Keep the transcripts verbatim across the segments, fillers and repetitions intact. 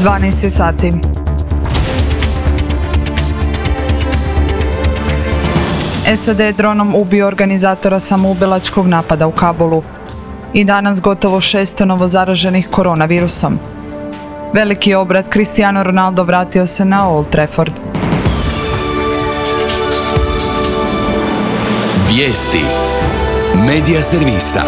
dvanaest sati. S A D je dronom ubio organizatora samoubilačkog napada u Kabulu. I danas gotovo šesto novozaraženih koronavirusom. Veliki obrat, Cristiano Ronaldo vratio se na Old Trafford. Vijesti Medija servisa.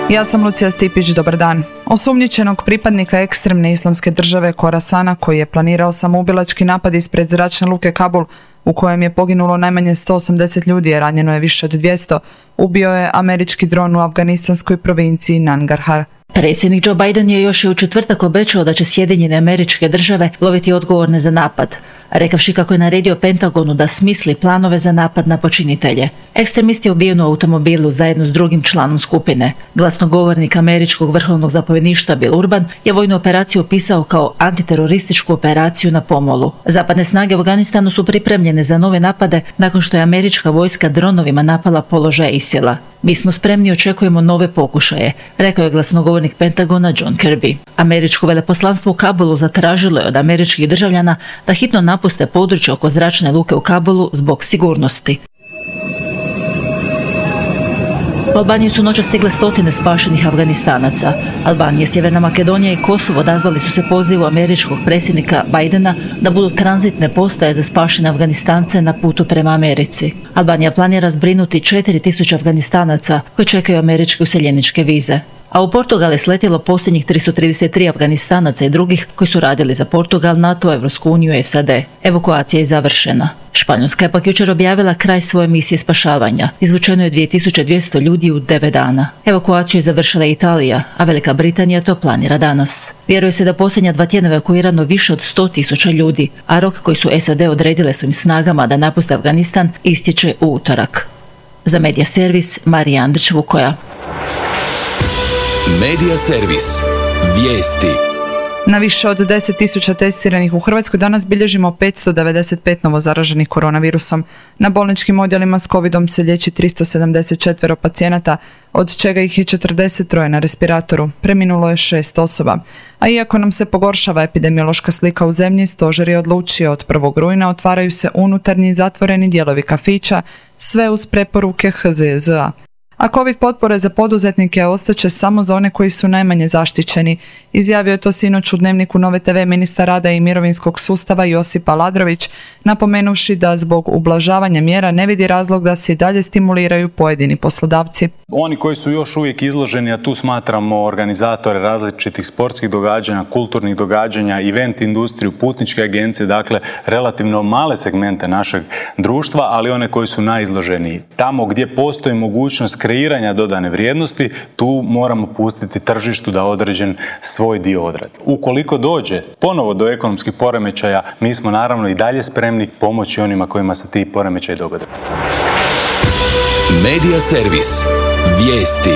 Ja sam Lucija Stipić, dobar dan. Osumnjičenog pripadnika ekstremne islamske države Khorasana, koji je planirao samoubilački napad ispred zračne luke Kabul, u kojem je poginulo najmanje sto osamdeset ljudi, a ranjeno je više od dvjesto, ubio je američki dron u afganistanskoj provinciji Nangarhar. Predsjednik Joe Biden je još i u četvrtak obećao da će Sjedinjene Američke Države loviti odgovorne za napad, rekavši kako je naredio Pentagonu da smisli planove za napad na počinitelje. Ekstremist je ubijen u automobilu zajedno s drugim članom skupine. Glasnogovornik američkog vrhovnog zapovjedništva Bill Urban je vojnu operaciju opisao kao antiterorističku operaciju na pomolu. Zapadne snage u Afganistanu su pripremljene za nove napade nakon što je američka vojska dronovima napala položaj ISIL-a. Mi smo spremni i očekujemo nove pokušaje, rekao je glasnogovornik Pentagona John Kirby. Američko veleposlanstvo u Kabulu zatražilo je od američkih državljana da hitno napuste područje oko zračne luke u Kabulu zbog sigurnosti. U Albaniju su noćas stigle stotine spašenih Afganistanaca. Albanija, Sjeverna Makedonija i Kosovo odazvali su se pozivu američkog predsjednika Bidena da budu tranzitne postaje za spašene Afganistance na putu prema Americi. Albanija planira zbrinuti četiri tisuće Afganistanaca koji čekaju američke useljeničke vize. A u Portugal je sletjelo posljednjih tristo trideset tri Afganistanaca i drugih koji su radili za Portugal, NATO, Evropsku uniju i S A D. Evakuacija je završena. Španjolska je pak jučer objavila kraj svoje misije spašavanja. Izvučeno je dvije tisuće dvjesto ljudi u devet dana. Evakuaciju je završila Italija, a Velika Britanija to planira danas. Vjeruje se da posljednja dva tjedna evakuirano više od sto tisuća ljudi, a rok koji su S A D odredile svojim snagama da napuste Afganistan istječe u utorak. Za Medija servis, Marija Andrić-Vukoja. Medija servis. Vijesti. Na više od deset tisuća testiranih u Hrvatskoj danas bilježimo petsto devedeset pet novozaraženih koronavirusom. Na bolničkim odjelima s covidom se liječi tristo sedamdeset četiri pacijenata, od čega ih je četrdeset tri na respiratoru. Preminulo je šest osoba. A iako nam se pogoršava epidemiološka slika u zemlji, stožer je odlučio od prvog rujna otvaraju se unutarnji zatvoreni dijelovi kafića, sve uz preporuke H Z Z A. A COVID potpore za poduzetnike ostaće samo za one koji su najmanje zaštićeni. Izjavio je to sinoć u Dnevniku Nove T V ministar rada i mirovinskog sustava Josip Aladrović, napomenuvši da zbog ublažavanja mjera ne vidi razlog da se i dalje stimuliraju pojedini poslodavci. Oni koji su još uvijek izloženi, a tu smatramo organizatore različitih sportskih događanja, kulturnih događanja, event industriju, putničke agencije, dakle relativno male segmente našeg društva, ali one koji su najizloženiji. Tamo gdje postoji mogućnost kreiranja dodane vrijednosti, tu moramo pustiti tržištu da određen svoj dio odradi. Ukoliko dođe ponovo do ekonomskih poremećaja, mi smo naravno i dalje spremni pomoći onima kojima se ti poremećaji dogode. Medija servis. Vijesti.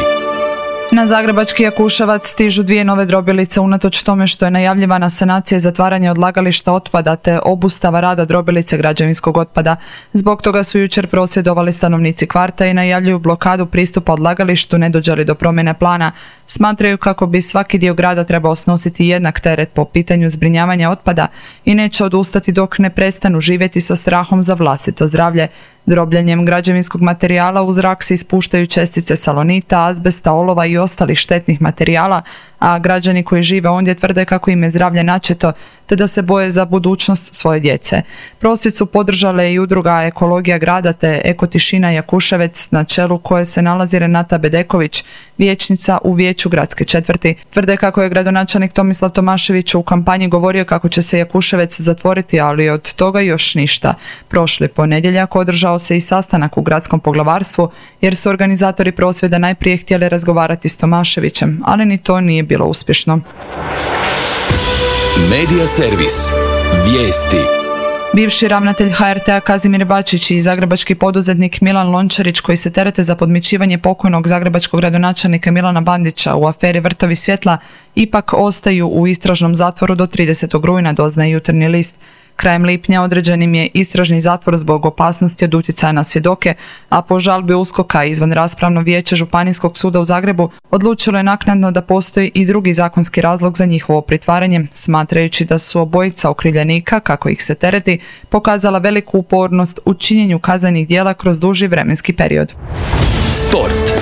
Na zagrebački Jakuševac stižu dvije nove drobilice unatoč tome što je najavljivana sanacija i zatvaranje odlagališta otpada te obustava rada drobilice građevinskog otpada. Zbog toga su jučer prosvjedovali stanovnici kvarta i najavljuju blokadu pristupa odlagalištu ne dođe li do promjene plana. Smatraju kako bi svaki dio grada trebao snositi jednak teret po pitanju zbrinjavanja otpada i neće odustati dok ne prestanu živjeti sa strahom za vlastito zdravlje. Drobljenjem građevinskog materijala u zrak se ispuštaju čestice salonita, azbesta, olova i ostalih štetnih materijala, a građani koji žive ondje tvrde kako im je zdravlje načeto te da se boje za budućnost svoje djece. Prosvjed su podržale i udruga Ekologija grada te Eko tišina Jakuševec, na čelu koje se nalazi Renata Bedeković, vijećnica u vijeću gradske četvrti. Tvrde kako je gradonačelnik Tomislav Tomašević u kampanji govorio kako će se Jakuševec zatvoriti, ali od toga još ništa. Prošli ponedjeljak održao se i sastanak u gradskom poglavarstvu jer su organizatori prosvjeda najprije htjeli razgovarati s Tomaševićem, ali ni to nije bilo uspješno. Medija servis. Vijesti. Bivši ravnatelj H R T-a Kazimir Bačić i zagrebački poduzetnik Milan Lončarić, koji se terete za podmićivanje pokojnog zagrebačkog gradonačelnika Milana Bandića u aferi Vrtovi svjetla, ipak ostaju u istražnom zatvoru do tridesetog rujna, doznaje Jutarnji list. Krajem lipnja određenim je istražni zatvor zbog opasnosti od utjecaja na svjedoke, a po žalbi USKOK-a izvan raspravno vijeće Županijskog suda u Zagrebu odlučilo je naknadno da postoji i drugi zakonski razlog za njihovo pritvaranje, smatrajući da su obojica okrivljenika, kako ih se tereti, pokazala veliku upornost u činjenju kaznenih djela kroz duži vremenski period. Sport.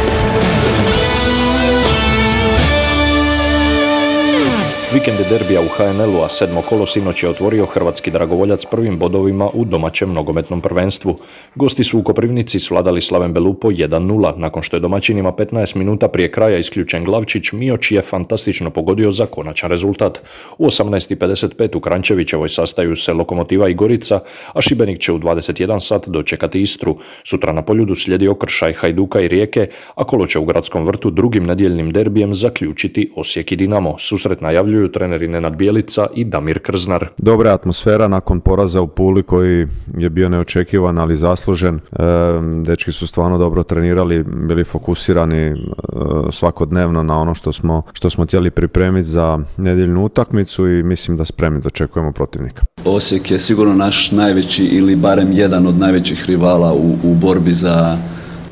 Vikend derbija u ha en el-u, a sedmo kolo sinoć je otvorio hrvatski dragovoljac prvim bodovima u domaćem nogometnom prvenstvu. Gosti su u Koprivnici svladali Slaven Belupo jedan nula, nakon što je domaćinima petnaest minuta prije kraja isključen Glavčić, Mioć je fantastično pogodio za konačan rezultat. U osamnaest i pedeset pet u Kranjčevićevoj sastaju se Lokomotiva i Gorica, a Šibenik će u dvadeset jedan sat dočekati Istru. Sutra na Poljudu slijedi okršaj Hajduka i Rijeke, a kolo će u Gradskom vrtu drugim nedjeljnim derbijem zaključiti Osijek i Dinamo. Susret najavljuju treneri Nenad Bijelica i Damir Krznar. Dobra atmosfera nakon poraza u Puli koji je bio neočekivan, ali zaslužen. E, dečki su stvarno dobro trenirali, bili fokusirani e, svakodnevno na ono što smo, što smo htjeli pripremiti za nedjeljnu utakmicu i mislim da spremni dočekujemo protivnika. Osijek je sigurno naš najveći ili barem jedan od najvećih rivala u, u borbi za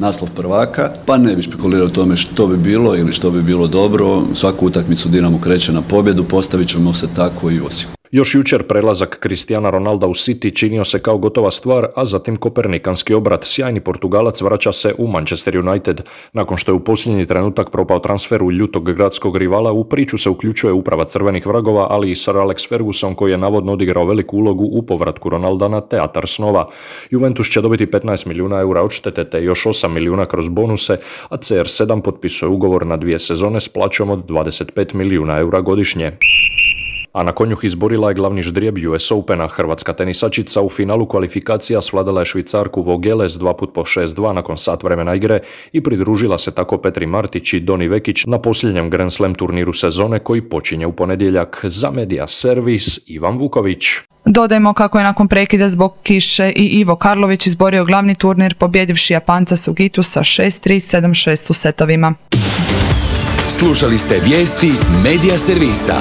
naslov prvaka, pa ne bi špekulirao o tome što bi bilo ili što bi bilo dobro. Svaku utakmicu Dinamo kreće na pobjedu, postavit ćemo se tako i u Osijeku. Još jučer prelazak Cristiana Ronalda u City činio se kao gotova stvar, a zatim kopernikanski obrat. Sjajni Portugalac vraća se u Manchester United. Nakon što je u posljednji trenutak propao transfer u ljutog gradskog rivala, u priču se uključuje uprava crvenih vragova, ali i Sir Alex Ferguson koji je navodno odigrao veliku ulogu u povratku Ronalda na teatar snova. Juventus će dobiti petnaest milijuna eura odštete te još osam milijuna kroz bonuse, a ce er sedam potpisuje ugovor na dvije sezone s plaćom od dvadeset pet milijuna eura godišnje. A na konjuh izborila je glavni ždrijeb ju es Opena. Hrvatska tenisačica u finalu kvalifikacija svladala je Švicarku Vogeles dva put po šest dva nakon sat vremena igre i pridružila se tako Petri Martić i Doni Vekić na posljednjem Grand Slam turniru sezone koji počinje u ponedjeljak. Za Media Servis Ivan Vuković. Dodajmo kako je nakon prekida zbog kiše i Ivo Karlović izborio glavni turnir pobjedivši Japanca Sugitu sa šest tri sedam šest u setovima. Slušali ste vijesti Media Servisa.